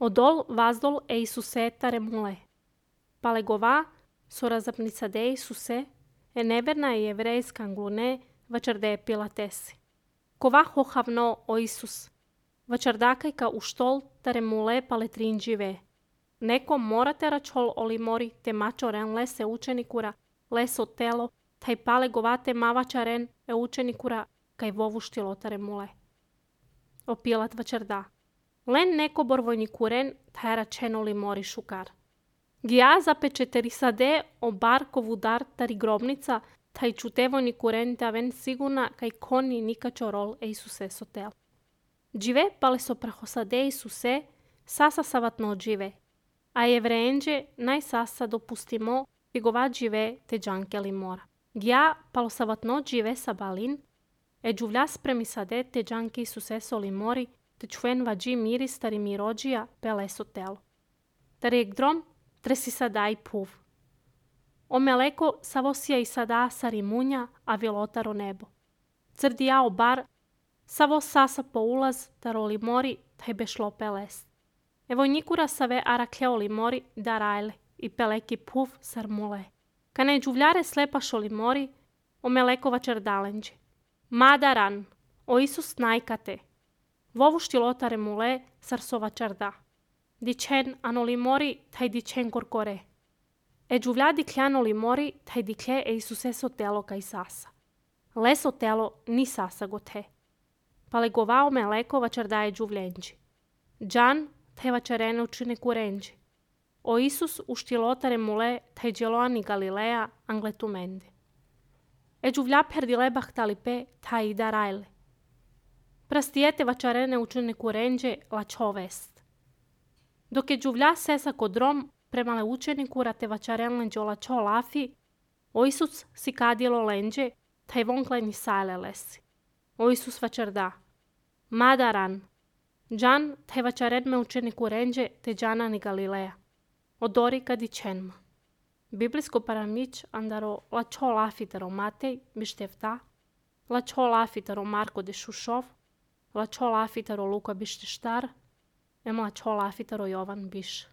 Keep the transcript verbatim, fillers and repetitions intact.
Odol vazdol e Isuse tare mule. Palegova sorazapnica de Isuse e neverna e jevrejska anglune vačarde pilatesi. Kova hohavno o Isus. Vačardakajka u štol tare mule paletrinđive. Neko morate račol olimori te mačoren lese učenikura, leso telo, taj palegovate mavačaren e učenikura kaj vovuštilo tare mule. O Pilat vačarda. Len neko borvojnikuren taj račeno limori šukar. Gija zapečeterisade o barkovu dar tari grobnica, taj čutevojnikuren da ven sigurna kaj koni nikačo rol e Isuse sotel. Džive pale so prahosade Isuse, sasa savatno džive. A jevrenđe naj sasa dopustimo figova džive te džanke limora. Gija palo savatno džive sa balin, e džuvlja spremisade te džanke Isuse solimori, te čuen vađi miris tari mirođija pele sotelo. Tari gdrom tresi sada i puv. O meleko savosija i sada sarimunja, a vilotaro nebo. Crdija o bar, savo sasa po ulaz, taro limori, taj bešlo pelest. Evo nikura save arakleo limori da rajle i peleki puv sarmule. Kane džuvljare slepašo limori, o meleko vačardalenđe. Madaran, o Isus najkate. Vovu štilotare mule sarsova čarda. Dičen anolimori taj dičen korkore. E džuvlja dikljano limori taj diklje e Isuse sotelo kaj sasa. Le sotelo ni sasa gote. Palegovao meleko vačarda e džuvljenđi. Džan taj vačarene učine kurenđi. O Isus u štilotare mule taj dželoani Galileja angletumende. E džuvlja perdile bahtalipe taj ida rajle. Prastijete vačarene učene kurenđe la čovest. Dok je džuvlja sesa kod rom, premale učeniku rate vačaren lenđe la čo lafi, o Isus si kadilo lenđe, taj vonkleni sajle lesi. O Isus vačarda. Madaran. Džan taj vačaren me učeniku renđe te džana ni Galileja. Odori kadi čenma. Biblijsko paramić andaro la čo lafitaro Matej bištevta, la čo lafitaro Marko de Šušov, la čo lafitaro Luka bište štar, em la čo lafitaro Jovan biš.